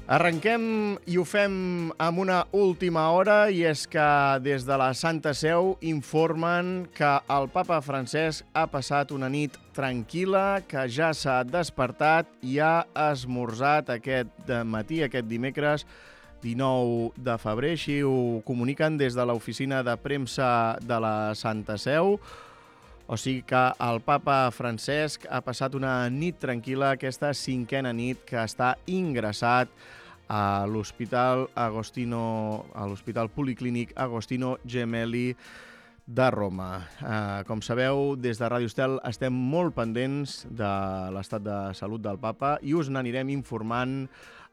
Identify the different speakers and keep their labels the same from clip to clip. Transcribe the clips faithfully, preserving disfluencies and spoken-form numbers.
Speaker 1: Arrenquem i ho fem amb una última hora, i és que des de la Santa Seu informen que el papa Francesc ha passat una nit tranquil·la, que ja s'ha despertat i ha esmorzat aquest matí, aquest dimecres dinou de febrer. Així ho comuniquen des de l'oficina de premsa de la Santa Seu. O sigui que el papa Francesc ha passat una nit tranquil·la, aquesta cinquena nit que està ingressat a l'Hospital Agostino, a l'Hospital Policlínic Agostino Gemelli de Roma. Eh, com sabeu, des de Ràdio Estel estem molt pendents de l'estat de salut del papa i us n'anirem informant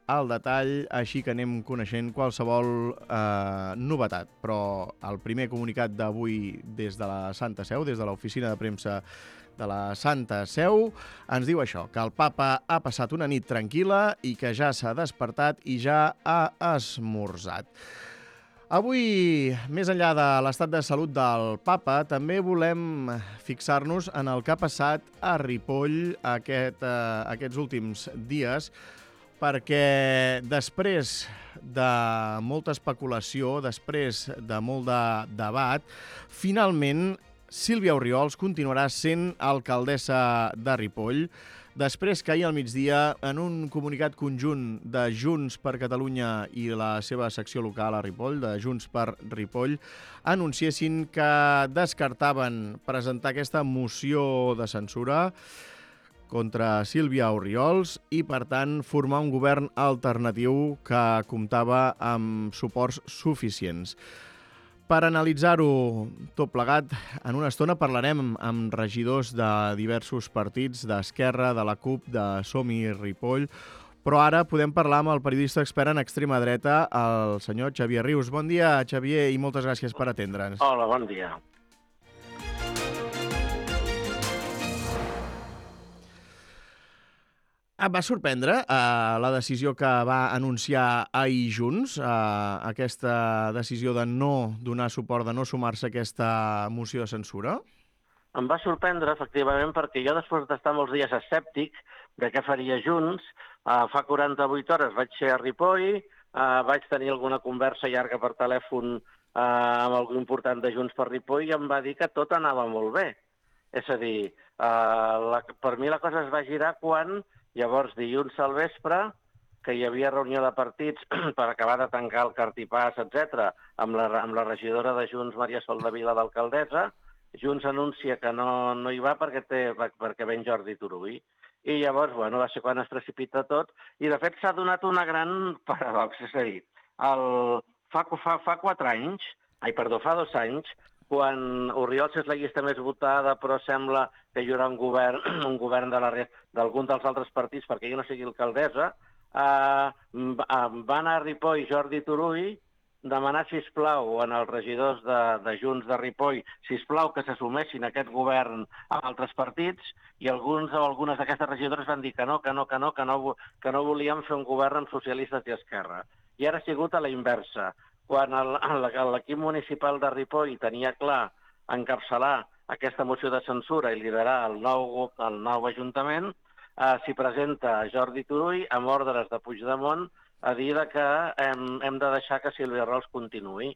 Speaker 1: al detall, així que anem coneixent qualsevol eh, novetat. Però el primer comunicat d'avui des de la Santa Seu, des de l'oficina de premsa de la Santa Seu, ens diu això, que el papa ha passat una nit tranquil·la i que ja s'ha despertat i ja ha esmorzat. Avui, més enllà de l'estat de salut del papa, també volem fixar-nos en el que ha passat a Ripoll aquest, eh, aquests últims dies, perquè després de molta especulació, després de molt de debat, finalment Sílvia Orriols continuarà sent alcaldessa de Ripoll, després que ahir al migdia, en un comunicat conjunt de Junts per Catalunya i la seva secció local a Ripoll, de Junts per Ripoll, anunciessin que descartaven presentar aquesta moció de censura contra Sílvia Orriols i, per tant, formar un govern alternatiu que comptava amb suports suficients. Per analitzar-ho tot plegat, en una estona parlarem amb regidors de diversos partits, d'Esquerra, de la CUP, de Som-hi Ripoll, però ara podem parlar amb el periodista expert en extrema dreta, el senyor Xavier Rius. Bon dia, Xavier, i moltes gràcies per atendre'ns.
Speaker 2: Hola, bon dia.
Speaker 1: Et va sorprendre eh, la decisió que va anunciar ahir Junts, eh, aquesta decisió de no donar suport, de no sumar-se a aquesta moció de censura?
Speaker 2: Em va sorprendre, efectivament, perquè jo, després d'estar molts dies escèptic de què faria Junts, eh, fa quaranta-vuit hores vaig ser a Ripoll, eh, vaig tenir alguna conversa llarga per telèfon eh, amb algú important de Junts per Ripoll i em va dir que tot anava molt bé. És a dir, eh, la, per mi la cosa es va girar quan... Llavors, dilluns al vespre, que hi havia reunió de partits per acabar de tancar el cartipàs, etcètera, amb la, amb la regidora de Junts, Maria Sol de Vila, d'alcaldessa, Junts anuncia que no, no hi va perquè, té, perquè ven Jordi Turull. I llavors, bueno, va ser quan es precipita tot. I, de fet, s'ha donat una gran paradoxa. És a dir, el, fa, fa, fa quatre anys, ai, perdó, fa dos anys, quan Orriols és la llista més votada, però sembla que hi haurà un govern, un govern de la d'algun dels altres partits, perquè jo no sigui alcaldessa, eh, va anar a Ripoll Jordi Turull, demanar, sisplau, en els regidors de, de Junts de Ripoll, sisplau, que s'assumessin aquest govern a altres partits, i alguns o algunes d'aquestes regidores van dir que no, que no, que no, que no, que no volíem fer un govern amb socialistes i Esquerra. I ara ha sigut a la inversa. Quan l'equip municipal de Ripoll tenia clar encapçalar aquesta moció de censura i liderar el nou, el nou ajuntament, eh, s'hi presenta Jordi Turull amb ordres de Puigdemont a dir que hem, hem de deixar que Sílvia Orriols continuï.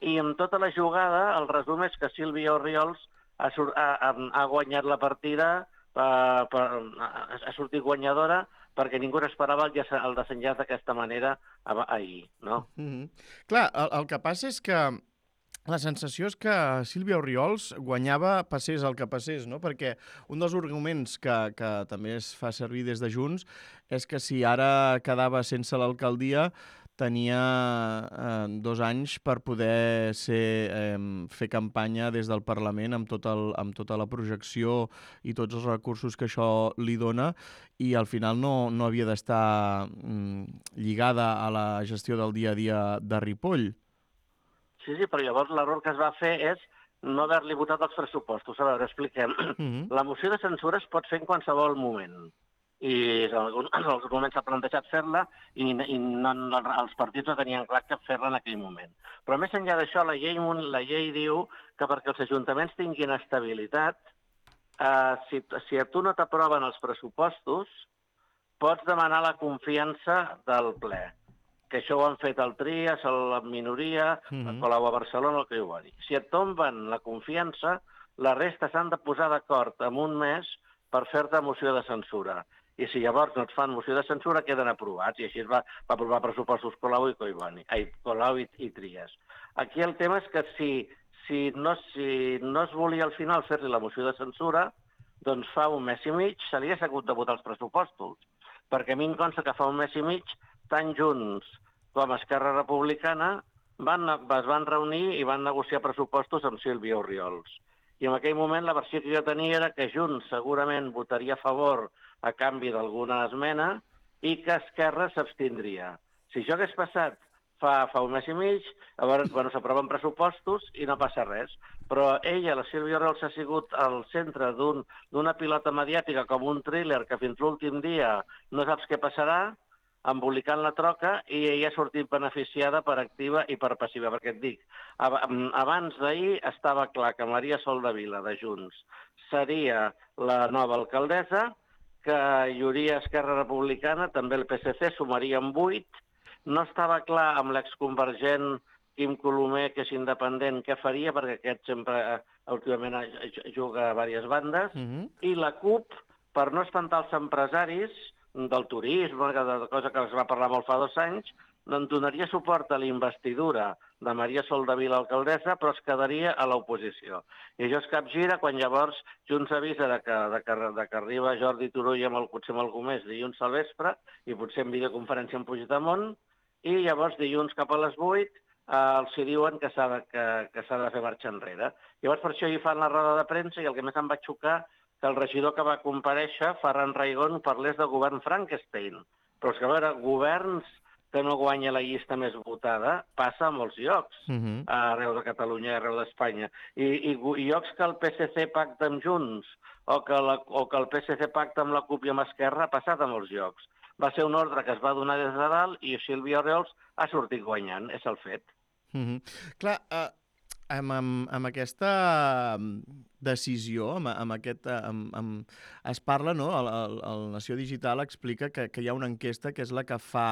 Speaker 2: I amb tota la jugada, el resum és que Sílvia Orriols ha, ha, ha guanyat la partida, per, per, ha sortit guanyadora, perquè ningú esperava el, el desenllaç d'aquesta manera ahir, no?
Speaker 1: Mm-hmm. Clar, el, el que passa és que la sensació és que Sílvia Orriols guanyava passés el que passés, no? Perquè un dels arguments que, que també es fa servir des de Junts és que si ara quedava sense l'alcaldia tenia eh, dos anys per poder ser, eh, fer campanya des del Parlament amb, tot el, amb tota la projecció i tots els recursos que això li dona, i al final no, no havia d'estar mm, lligada a la gestió del dia a dia de Ripoll.
Speaker 2: Sí, sí, però llavors l'error que es va fer és no haver-li votat els pressupostos. A veure, expliquem. Mm-hmm. La moció de censura es pot fer en qualsevol moment. I en alguns, en alguns moments s'ha plantejat fer-la i, i no, no, els partits no tenien clar que fer-la en aquell moment. Però més enllà d'això, la llei, la llei diu que perquè els ajuntaments tinguin estabilitat, eh, si, si a tu no t'aproven els pressupostos, pots demanar la confiança del ple. que això ho han fet el Trias, la minoria,
Speaker 1: Mhm.
Speaker 2: la Colau a Barcelona, el que ho va dir. Si et tomben la confiança, la resta s'han de posar d'acord en un mes per fer-te moció de censura. I si llavors no et fan moció de censura, queden aprovats. I així es va, va aprovar pressupostos Colau i Collboni, ai, Colau i, i Trias. Aquí el tema és que si, si, no, si no es volia al final fer-li la moció de censura, doncs fa un mes i mig se li ha hagut de votar els pressupostos. Perquè a mi em consta que fa un mes i mig, tant Junts com Esquerra Republicana van, es van reunir i van negociar pressupostos amb Sílvia Orriols. I en aquell moment la versió que jo tenia era que Junts segurament votaria a favor a canvi d'alguna esmena i que Esquerra s'abstindria. Si això hagués passat fa, fa un mes i mig, llavors bueno, s'aproven pressupostos i no passa res. Però ella, la Sílvia Orriols, ha sigut al centre d'una un, pilota mediàtica com un thriller que fins l'últim dia no saps què passarà, embolicant la troca, i ella ha sortit beneficiada per activa i per passiva, perquè et dic, abans d'ahir estava clar que Maria Soldevila, de Junts, seria la nova alcaldessa, que hi hauria Esquerra Republicana, també el P S C, sumaria amb vuit, no estava clar amb l'exconvergent Quim Colomer, que és independent, què faria, perquè aquest sempre, últimament, juga a diverses bandes, uh-huh. I la CUP, per no espantar els empresaris del turisme, de cosa que es va parlar molt fa dos anys, doncs donaria suport a la investidura de Maria Soldevila alcaldessa, però es quedaria a l'oposició. I això es capgira quan llavors Junts avisa de que, de que, de que arriba Jordi Turull amb el, potser amb algú més dilluns al vespre, i potser en videoconferència amb Puigdemont, i llavors dilluns cap a les vuit eh, els hi diuen que s'ha de, que, que s'ha de fer marxa enrere. Llavors per això hi fan la roda de premsa, i el que més em va xocar que el regidor que va comparèixer, Ferran Raigón, parlés de govern Frankenstein. Però és que, a veure, governs que no guanya la llista més votada passa a molts llocs, uh-huh. arreu de Catalunya i arreu d'Espanya. I, i, I llocs que el P S C pacta amb Junts o que, la, o que el P S C pacta amb la CUP i amb Esquerra ha passat a molts llocs. Va ser una ordre que es va donar des de dalt i Sílvia Orriols ha sortit guanyant, és el fet.
Speaker 1: Uh-huh. Clar, uh... Amb, amb, amb aquesta decisió, amb, amb aquest, amb, amb, es parla, no? El, el, el Nació Digital explica que, que hi ha una enquesta que és la que fa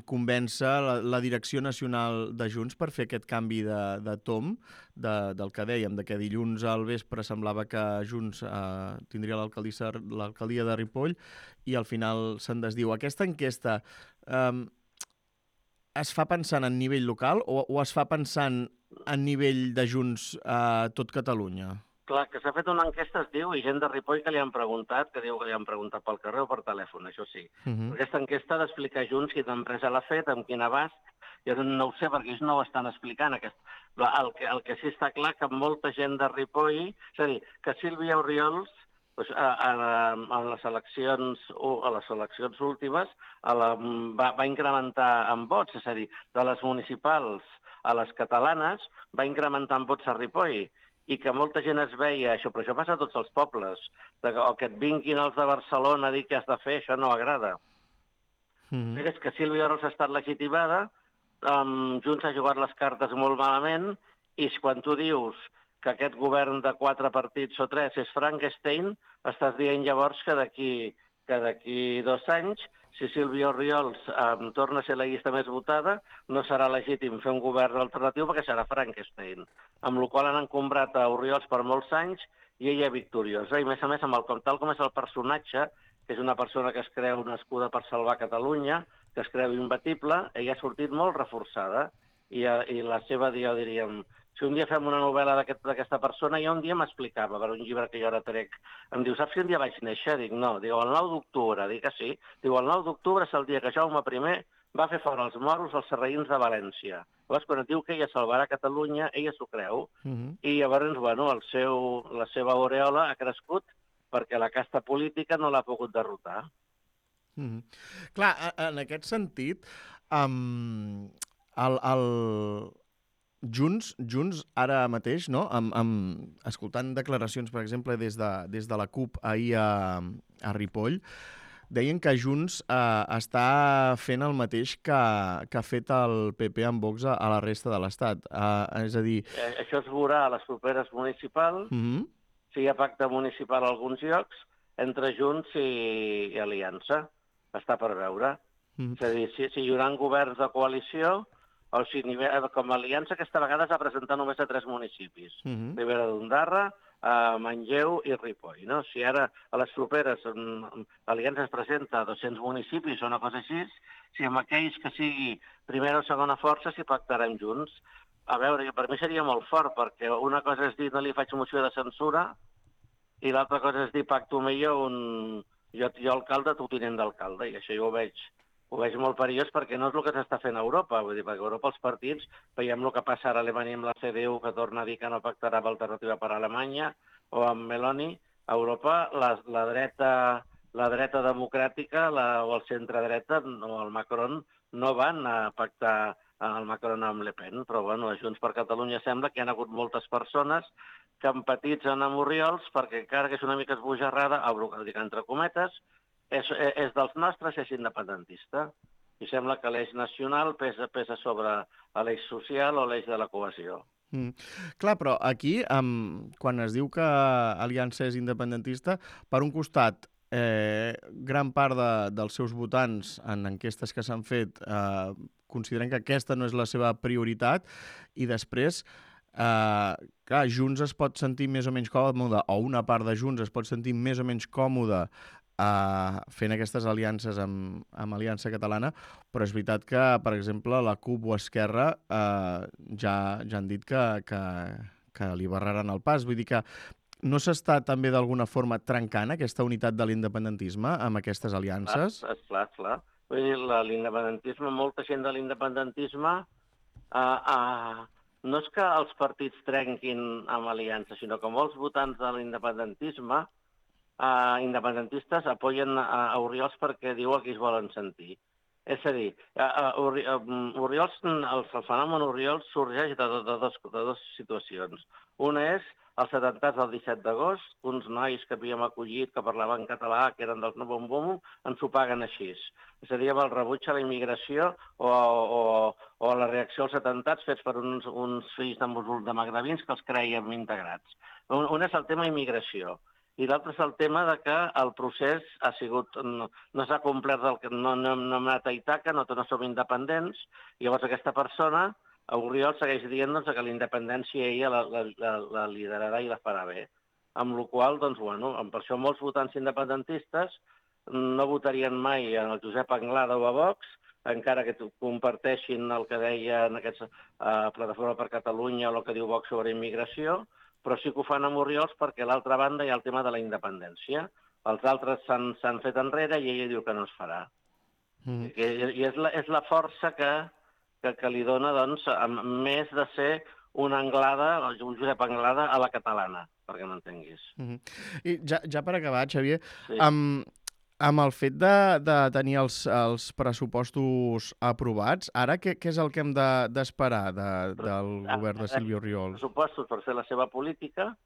Speaker 1: convèncer la, la direcció nacional de Junts per fer aquest canvi de, de tom, de, del que dèiem, de que dilluns al vespre semblava que Junts eh, tindria l'alcaldia de Ripoll i al final se'n desdiu. Aquesta enquesta eh, es fa pensant en nivell local o, o es fa pensant a nivell de Junts a tot Catalunya?
Speaker 2: Clar, que s'ha fet una enquesta, es diu, i gent de Ripoll que li han preguntat, que diu que li han preguntat pel carrer o per telèfon, això sí. Uh-huh. Aquesta enquesta ha d'explicar Junts quina empresa l'ha fet, amb quin abast, jo no ho sé perquè ells no ho estan explicant. Aquest... El, que, el que sí està clar que molta gent de Ripoll, és a dir, que Sílvia Orriols, doncs, a, a, a, les eleccions, a les eleccions últimes a la, va, va incrementar en vots, és a dir, de les municipals a les catalanes, va incrementar en vots a Ripoll, i que molta gent es veia això, però això passa a tots els pobles, de, o que et vinguin els de Barcelona a dir què has de fer, això no agrada. Mm. És que Sílvia Orriols ha estat legitimada, um, Junts ha jugat les cartes molt malament, i quan tu dius que aquest govern de quatre partits o tres és Frankenstein, estàs dient llavors que d'aquí que d'aquí dos anys, si Sílvia Orriols eh, torna a ser la llista més votada, no serà legítim fer un govern alternatiu perquè serà Frankenstein. Amb la qual han encombrat a Orriols per molts anys i ella victoriosa. I a més a més, amb el, tal com és el personatge, que és una persona que es creu nascuda per salvar Catalunya, que es creu imbatible, ella ha sortit molt reforçada. I, i la seva, jo diríem, si un dia fem una novel·la d'aquesta aquest, persona, jo un dia m'explicava, per un llibre que jo ara trec, em diu, saps si un dia vaig néixer? Dic, no. Diu, el nou d'octubre. Dic que sí. Diu, el nou d'octubre és el dia que Jaume primer va fer fora els moros als sarraïns de València. Llavors, quan et diu que ella salvarà Catalunya, ella s'ho creu. Uh-huh. I llavors, bueno, el seu, la seva aureola ha crescut perquè la casta política no l'ha pogut derrotar.
Speaker 1: Uh-huh. Clar, en aquest sentit, um, el... el... Junts, Junts ara mateix, no? Amb, amb, escoltant declaracions, per exemple, des de, des de la CUP ahir a, a Ripoll, deien que Junts eh, està fent el mateix que, que ha fet el P P amb Vox a, a la resta de l'Estat. Eh, és a dir...
Speaker 2: Això es veurà a les properes municipals, uh-huh. Si hi ha pacte municipal a alguns llocs, entre Junts i, i Aliança. Està per veure. Mm. És a dir, si, si hi haurà governs de coalició, o sigui, com a aliança aquesta vegada s'ha presentat només a tres municipis. Mm -hmm. Ribera d'Ondara, a Manlleu i Ripoll. No? Si ara a les properes l'aliança es presenta a dos-cents municipis o una cosa així, si amb aquells que sigui primera o segona força s'hi pactarem junts. A veure, per mi seria molt fort, perquè una cosa és dir no li faig moció de censura i l'altra cosa és dir pacto millor un... Jo, jo alcalde, tu tinent d'alcalde, i això jo ho veig, ho veig molt perillós perquè no és el que s'està fent a Europa. Vull dir, perquè a Europa els partits, veiem el que passa ara a Alemanya amb la C D U, que torna a dir que no pactarà amb alternativa per a Alemanya, o amb Meloni. A Europa la, la dreta la dreta democràtica la, o el centre-dreta o el Macron no van a pactar el Macron amb Le Pen, però bueno, a Junts per Catalunya sembla que hi ha hagut moltes persones que empatitzen amb Oriols perquè encara que és una mica esbojarrada, entre cometes, és, és dels nostres, és independentista. I sembla que l'eix nacional pesa, pesa sobre l'eix social o l'eix de la cohesió.
Speaker 1: Mm. Clar, però aquí, um, quan es diu que Aliança és independentista, per un costat, eh, gran part de, dels seus votants en enquestes que s'han fet eh, consideren que aquesta no és la seva prioritat i després, eh, clar, Junts es pot sentir més o menys còmode, o una part de Junts es pot sentir més o menys còmode Uh, fent aquestes aliances amb, amb Aliança Catalana, però és veritat que, per exemple, la CUP o Esquerra uh, ja, ja han dit que, que, que li barraran el pas. Vull dir que no s'està també d'alguna forma trencant aquesta unitat de l'independentisme amb aquestes aliances?
Speaker 2: Clar, clar, clar. Vull dir, l'independentisme, molta gent de l'independentisme uh, uh, no és que els partits trenquin amb aliança, sinó que molts votants de l'independentisme Uh, independentistes apoyen a, a Oriols perquè diu que es volen sentir. És a dir, uh, uh, Oriols, el, el fenomen Oriols sorgeix de, de, de, dos, de dues situacions. Una és els atemptats del disset d'agost, uns nois que havíem acollit, que parlaven català, que eren dels No Bom Bom, ens ho paguen així. És a dir, amb el rebuig a la immigració o, o, o la reacció als atemptats fets per uns, uns fills de, de magrebins que els creiem integrats. Un, un és el tema immigració. I l'altre és el tema de que el procés ha sigut, no, no s'ha complert, el, no, no, no hem anat a Itaca, no, no som independents, i llavors aquesta persona, a Oriol, segueix dient doncs, que la independència ella la, la, la, la liderarà i la farà bé. Amb la qual cosa, doncs, bueno, per això molts votants independentistes no votarien mai en el Josep Anglada o a Vox, encara que comparteixin el que deia en aquesta uh, Plataforma per Catalunya o el que diu Vox sobre immigració, però sí que ho fan amb Oriols perquè a l'altra banda hi ha el tema de la independència. Els altres s'han fet enrere i ella diu que no es farà. Mm. I, i és, la, és la força que, que, que li dona, doncs, més de ser una Anglada, un Josep Anglada a la catalana, perquè m'entenguis. Mm
Speaker 1: -hmm. I ja, ja per acabar, Xavier, sí. amb, amb el fet de, de tenir els, els pressupostos aprovats, ara què, què és el que hem d'esperar de, de, del govern de Sílvia Oriols?
Speaker 2: Pressupostos per fer la seva política,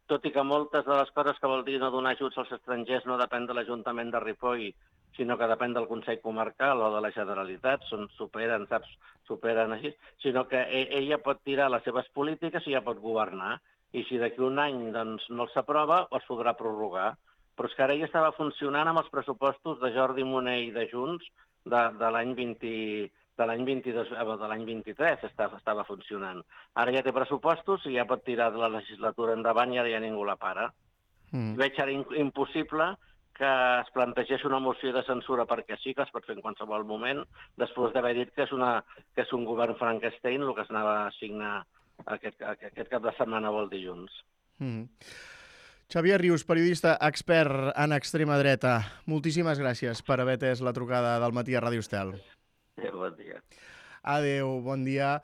Speaker 2: tot i que moltes de les coses que vol dir no donar ajuts als estrangers no depèn de l'Ajuntament de Ripoll, sinó que depèn del Consell Comarcal o de la Generalitat, són, superen, saps, superen així, sinó que ella pot tirar les seves polítiques i ja pot governar. I si d'aquí un any doncs, no s'aprova, es podrà prorrogar. Però és que ara ja estava funcionant amb els pressupostos de Jordi Munell i de Junts de, de l'any vint, de l'any vint-i-dos, de l'any vint-i-tres estava, estava funcionant. Ara ja té pressupostos i ja pot tirar de la legislatura endavant i ara ja ningú la para. Mm. Veig ara impossible que es plantegés una moció de censura perquè sí, que es pot fer en qualsevol moment, després d'haver dit que és, una, que és un govern Frankenstein el que es anava a signar aquest, aquest cap de setmana o el dilluns.
Speaker 1: Mm. Xavier Rius, periodista expert en extrema dreta. Moltíssimes gràcies per haver atès la trucada del matí a Ràdio Estel.
Speaker 2: Adéu, bon dia.
Speaker 1: Adéu, bon dia.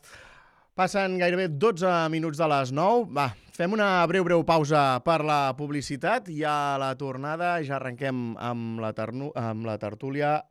Speaker 1: Passen gairebé dotze minuts de les nou. Va, fem una breu, breu pausa per la publicitat i a la tornada ja arrenquem amb la, amb la tertúlia.